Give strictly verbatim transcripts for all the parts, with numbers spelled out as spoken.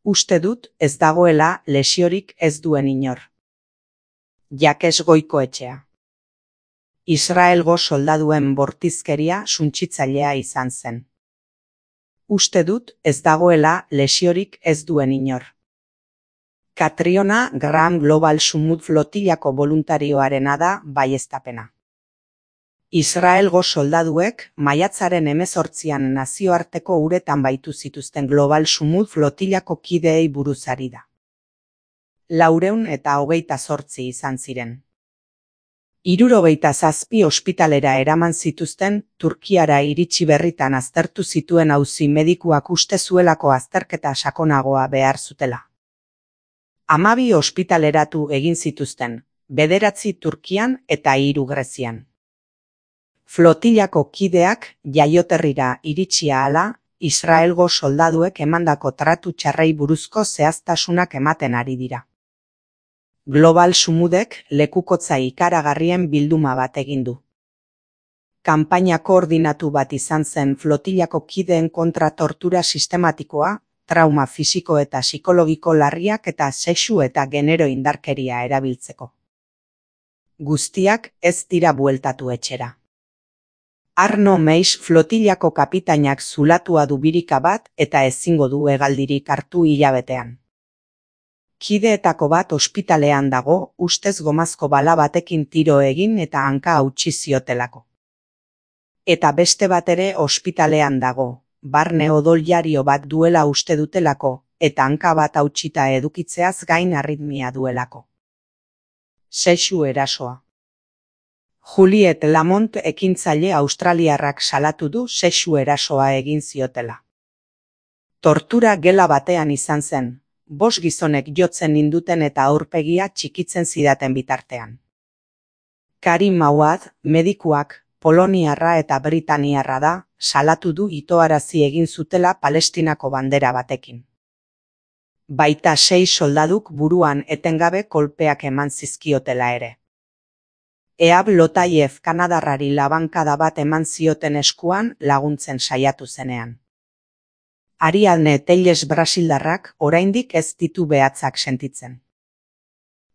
Uste dut ez dagoela lesiorik ez duen inor. Jakes Goikoetxea. Israelgo soldaduen bortizkeria suntsitzailea izan zen. Uste dut ez dagoela lesiorik ez duen inor. Catriona Graham Global Summut Flotillako boluntarioarena da baieztapena. Israelgo soldaduek maiatzaren hemezortzian nazioarteko uretan baitu zituzten Global Summut Flotillako kideei buruz ari da. Laurehun eta hogeita zortzi izan ziren. Hirurogeita zazpi ospitalera eraman zituzten, Turkiara iritsi berritan aztertu zituen auzi medikuak uste zuelako azterketa sakonagoa behar zutela. Hamabi ospitaleratu egin zituzten, bederatzi Turkian eta hiru Grezian. Flotillako kideak jaioterrira iritsi ahala, Israelgo soldaduek emandako tratu txarrei buruzko zehaztasunak ematen ari dira. Global Summudek lekukotza ikaragarrien bilduma bat egin du. Kanpaina koordinatu bat izan zen flotillako kideen kontra tortura sistematikoa, trauma fisiko eta psikologiko larriak eta sexu eta genero indarkeria erabiltzeko. Guztiak ez dira bueltatu etxera. Arno Meix flotillako kapitainak zulatua du birika bat eta ezingo du hegaldirik hartu hilabetean. Kideetako bat ospitalean dago, ustez gomazko bala batekin tiro egin eta hanka hautsi ziotelako. Eta beste bat ere ospitalean dago, barne odoljario bat duela uste dutelako, eta hanka bat hautsita edukitzeaz gain arritmia duelako. Sexu erasoa. Juliet Lamont ekintzaile australiarrak salatu du sexu erasoa egin ziotela. Tortura gela batean izan zen, bost gizonek jotzen ninduten eta aurpegia txikitzen zidaten bitartean. Karim Mawad, medikuak, poloniarra eta britaniarra da, salatu du itoarazi egin zutela Palestinako bandera batekin. Baita sei soldaduk buruan etengabe kolpeak eman zizkiotela ere. Ehab Lotayev kanadarrari labankada bat eman zioten eskuan laguntzen saiatu zenean. Ariadne Telles brasildarrak oraindik ez ditu behatzak sentitzen.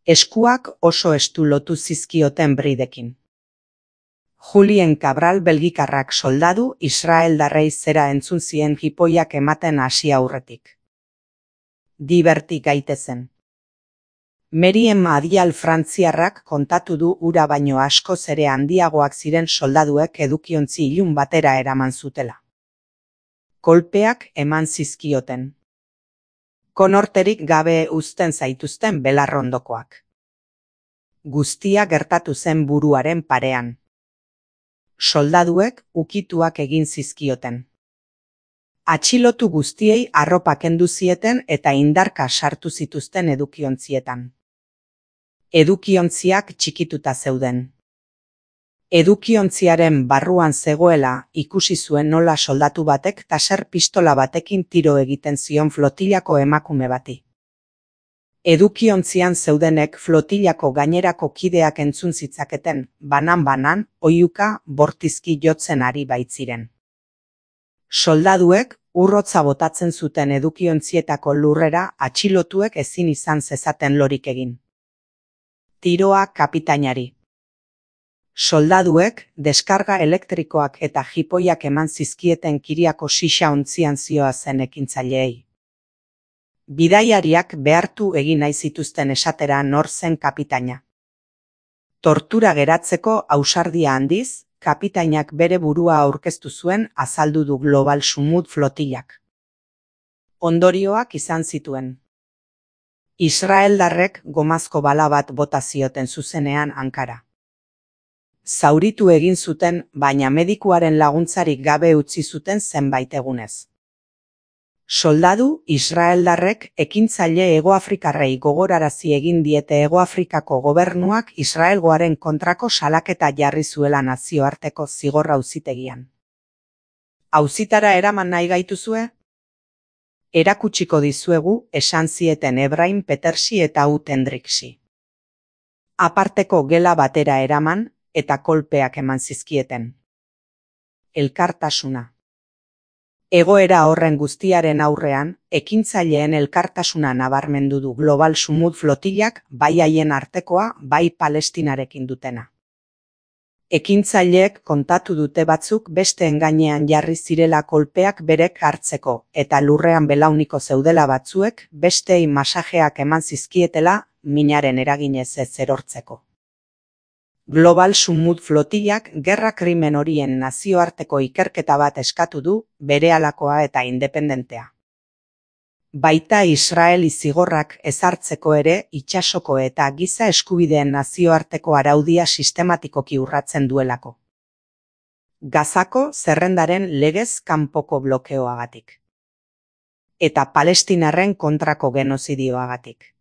Eskuak oso estu lotu zizkioten bridekin. Julien Cabral belgikarrak soldadu israeldarrei zera entzun zien jipoiak ematen hasi aurretik. Diverti gaitezen. Meriem Adial frantziarrak kontatu du ura baino askoz ere handiagoak ziren soldaduek edukiontzi ilun batera eraman zutela. Kolpeak eman zizkioten. Konorterik gabe uzten zaituzten belarrondokoak. Guztia gertatu zen buruaren parean. Soldaduek ukituak egin zizkioten. Atxilotu guztiei arropa kendu zieten eta indarka sartu zituzten edukiontzietan. Edukiontziak txikituta zeuden. Edukiontziaren barruan zegoela ikusi zuen nola soldatu batek taser pistola batekin tiro egiten zion flotillako emakume bati. Edukiontzian zeudenek flotillako gainerako kideak entzun zitzaketen, banan-banan, oihuka bortizki jotzen ari baitziren. Soldaduek urrotza botatzen zuten edukiontzietako lurrera atxilotuek ezin izan zezaten lorik egin. Tiroa kapitainari. Soldaduek deskarga elektrikoak eta jipoiak eman zizkieten Kiriako xixa ontzian zioa zen ekintzaileei. Bidaiariak behartu egin nahi zituzten esatera nor zen kapitaina. Tortura geratzeko ausardia handiz, kapitainak bere burua aurkeztu zuen azaldu du Global Summut flotillak. Ondorioak izan zituen. Israeldarrek gomazko bala bat bota zioten zuzenean hankara. Zauritu egin zuten, baina medikuaren laguntzarik gabe utzi zuten zenbait egunez. Soldadu israeldarrek ekintzaile Hegoafrikarrei gogorarazi egin diete Hegoafrikako gobernuak Israelgoaren kontrako salaketa jarri zuela nazioarteko zigor auzitegian. Auzitara eraman nahi gaituzue? Erakutsiko dizuegu esan zieten Ebrahim Petersi eta Ut Hendriksi. Aparteko gela batera eraman eta kolpeak eman zizkieten. Elkartasuna. Egoera horren guztiaren aurrean, ekintzaileen elkartasuna nabarmendu du Global Sumud flotillak bai haien artekoa bai Palestinarekin dutena. Ekintzaileek kontatu dute batzuk besteen gainean jarri zirela kolpeak berek hartzeko eta lurrean belauniko zeudela batzuek besteei masajeak eman zizkietela minaren eraginez ez erortzeko. Global Sumud flotillak gerra krimen horien nazioarteko ikerketa bat eskatu du, berehalakoa eta independentea. Baita Israeli zigorrak ezartzeko ere itsasoko eta giza eskubideen nazioarteko araudia sistematikoki urratzen duelako. Gazako zerrendaren legez kanpoko blokeoagatik. Eta palestinarren kontrako genozidioagatik.